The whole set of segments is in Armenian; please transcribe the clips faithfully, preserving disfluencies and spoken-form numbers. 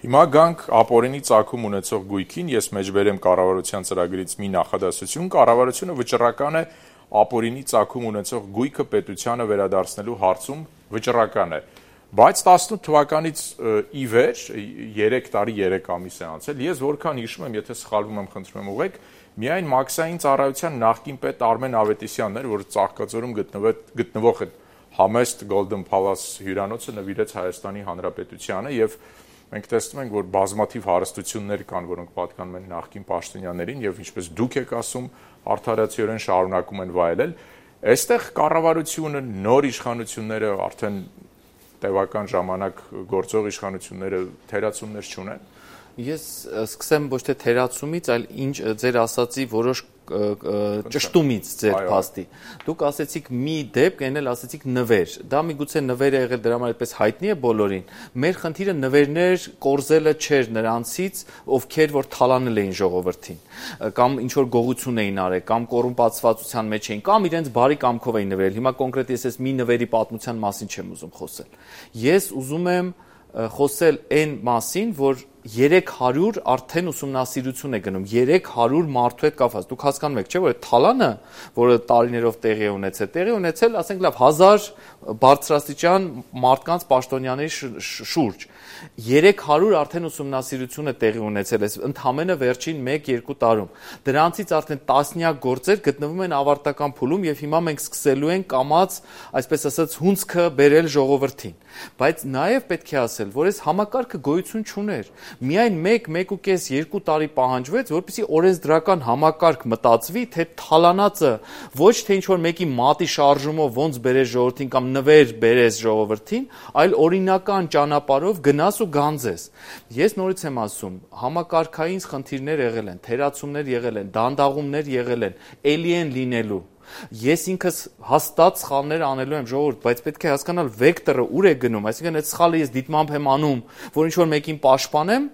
Հիմա գանք ապօրինի ծագում ունեցող գույքին, ես մեջբերեմ կառավարության ծրագրից մի նախադասություն, կառավարությունը վճռական է ապօրինի ծագում ունեցող գույքը պետությանը վերադարձնելու հարցում վճռական է, բայց տասնութ թվականից ի վեր, երեք տարի երեք ամիս է անցել, ես որքան հիշում եմ, եթե սխալվում եմ, խնդրում եմ ուղղեք, միայն մաքսային ծառայության նախկին պետ Արմեն Ավետիսյանն էր, որ Ծաղկաձորում գտնվող այդ համեստ Golden Palace հյուրանոցը նվիրեց Հայաստանի Հանրապետությանը եւ մենք տեսնում ենք, որ բազմաթիվ հարստություններ կան, որոնք պատկանում են նախկին պաշտոնյաներին եւ ինչպես դուք եք ասում, արդարացիորեն շարունակում են վայելել։ Այստեղ կառավարությունը, նոր իշխանությունները, արդեն տևական ժամանակ գործող իշխանությունները թերացումներ չունեն։ Ես սկսեմ ոչ թե թերացումից, այլ ինչ ձեր ասացի որոշ ճշտումից ձեր փաստի։ Դուք ասեցիք մի դեպք, այն էլ ասեցիք նվեր։ Դա միգուցե նվեր է եղել, դրա համար այդպես հայտնի է բոլորին։ Մեր խնդիրը նվերներ կորզելը չէր նրանցից, ովքեր որ թալանել էին ժողովրդին, կամ ինչ որ գողություն էին արել, կամ կոռումպացվածության մեջ էին, կամ իրենց բարի կամքով էին նվերել։ Հիմա կոնկրետ ես այս մի նվերի պատմության մասին չեմ ուզում խոսել։ Ես ուզում եմ խոսել այն մասին, որ երեք հարյուր արդեն ուսումնասիրություն է գնում, երեք հարյուր մարդու հետ կապված։ Դուք հասկանում եք, չէ՞, որ այդ թալանը, որը տարիներով տեղի է ունեցել, տեղի ունեցել, ասենք լավ, հազար բարձրաստիճան մարդկանց պաշտոնյաների շուրջ։ երեք հարյուր արդեն ուսումնասիրություն է տեղի ունեցել, այս ընդամենը վերջին մեկ-երկու տարում։ Դրանցից արդեն տասնյակ գործեր գտնվում են ավարտական փուլում եւ հիմա մենք սկսելու ենք կամած, այսպես ասած, հունցքը բերել ժողովրդին։ Բայց նաեւ պետք է ասել, որ այս համակարգը գոյություն չուներ։ Միայն մեկ, մեկ ու կես, երկու տարի պահանջվեց, որպեսզի օրենսդրական համակարգ մտածվի, թե թալանածը ոչ թե ինչ որ մեկի մատի շարժումով ոնց բերես ժողովրդին կամ նվեր բերես ժողովրդին, այլ օրինական ճանապարհով գնաս ու գանձես։ Ես նորից եմ ասում, համակարգային խնդիրներ եղել են, թերացումներ եղել են, դանդաղումներ եղել են, էլի են լինելու։ Ես ինքս հաստատ սխալներ անելու եմ ժողովուրդ, բայց պետք է հասկանալ վեկտորը ուր է գնում, այսինքն այդ սխալը ես դիտմամբ եմ անում, որ ինչ որ մեկին պաշտպանեմ,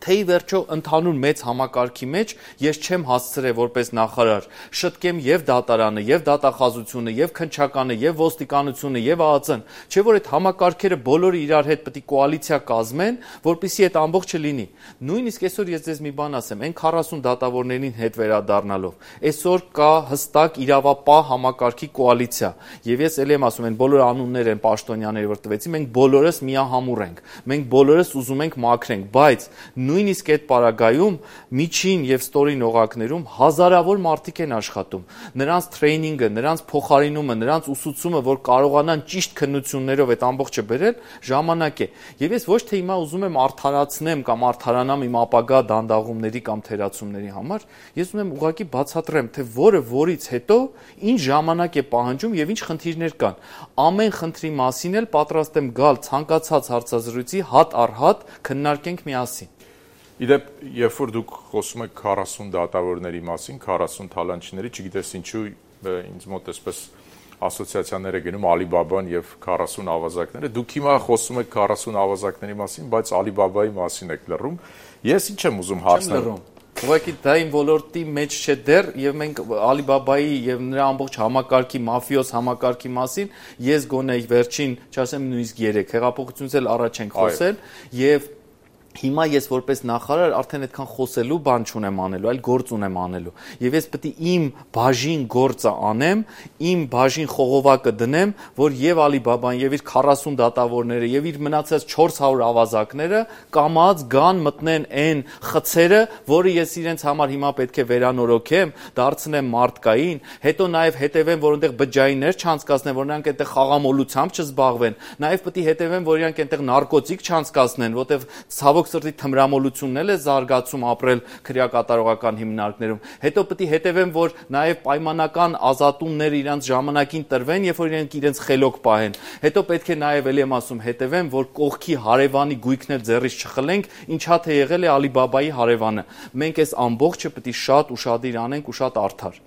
թե ի վերջո ընդհանուր մեծ համակարգի մեջ ես չեմ հասցրել որպես նախարար շտկեմ եւ դատարանը, եւ դատախազությունը, եւ քննչականը, եւ ոստիկանությունը, եւ ԱԱԾ-ն, չէ՞ որ այդ համակարգերը բոլորը իրար հետ պետք է կոալիցիա կազմեն, որպեսզի այդ ամբողջը լինի։ Նույնիսկ այսօր ես ձեզ մի բան ասեմ, այն քառասուն դատավորներին հետ վերադառնալով, այսօր կա հստակ իրավապահ համակարգի կոալիցիա, եւ ես ելի եմ ասում, այն բոլոր անուններ են պաշտոնյաների, որ տվեցի, մենք բոլորս միահամուռ ենք, մենք բոլորս ուզում ենք մաքրենք, բայց նույնիսկ այդ պարագայում միջին եւ ստորին օղակներում հազարավոր մարդիկ են աշխատում։ Նրանց տրեյնինգը, նրանց փոխարինումը, նրանց ուսուցումը, որ կարողանան ճիշտ քննություններով այդ ամբողջը բերել, ժամանակ է։ Եվ ես ոչ թե հիմա ուզում եմ արդարացնեմ կամ արդարանամ իմ ապագա դանդաղումների կամ թերացումների համար, ես ուզում եմ ուղղակի բացատրեմ, թե որը որից հետո ինչ ժամանակ է պահանջում եւ ինչ խնդիրներ կան։ Ամեն խնդրի մասին էլ պատրաստ եմ գալ ցանկացած հարցազրույցի հատ առ հատ քննարկենք միասին։ Իդեպ, երբ որ դուք խոսում եք քառասուն դատավորների մասին, քառասուն թալանչիների, չգիտես ինչու ինձ մոտ այսպես ասոցիացիաներ է գնում Ալիբաբան եւ քառասուն ավազակները, դուք հիմա խոսում եք քառասուն ավազակների մասին, բայց Ալիբաբայի մասին եք լռում։ Ես ինչ եմ ուզում հարցնել։ Ուղղակի դա իմ ոլորտի մեջ չէ դեռ եւ մենք Ալիբաբայի եւ նրա ամբողջ համակարգի, մաֆիոզ համակարգի մասին ես գոնե վերջին, չասեմ նույնիսկ երեք հեղափոխությունից էլ առաջ ենք խոսել եւ հիմա ես որպես նախարար արդեն այդքան խոսելու բան չունեմ անելու, այլ գործ ունեմ անելու։ Եվ ես պետք է իմ բաժին գործը անեմ, իմ բաժին խողովակը դնեմ, որ եւ Ալիբաբան եւ իր քառասուն դատավորները եւ իր մնացած չորս հարյուր ավազակները կամած գան մտնեն այն խցերը, որը ես իրենց համար հիմա պետք է վերանորոգեմ, դարձնեմ մարդկային, հետո նաեւ հետևեմ, որ այնտեղ բջջայիններ չանցկացնեն, որ նրանք այնտեղ խաղամոլությամբ չզբաղվեն, նաեւ պետք է հետևեմ, որ իրանք այնտեղ նարկոտիկ չանցկացնեն, որտեղ ցավոք սրտի թմրամոլությունն էլ է զարգացում ապրել քրեակատարողական հիմնարկներում։ Հետո պետք է հետևեմ, որ նաև պայմանական ազատումները իրանց ժամանակին տրվեն, երբ որ իրենք իրենց խելոք պահեն։ Հետո պետք է նաև ելի եմ ասում հետևեմ, որ կողքի հարևանի գույքն էլ ձեռից չխլենք, ինչա թե եղել է Ալիբաբայի հարևանը։ Մենք այս ամբողջը պետք է շատ ուշադիր անենք ու շատ արդար։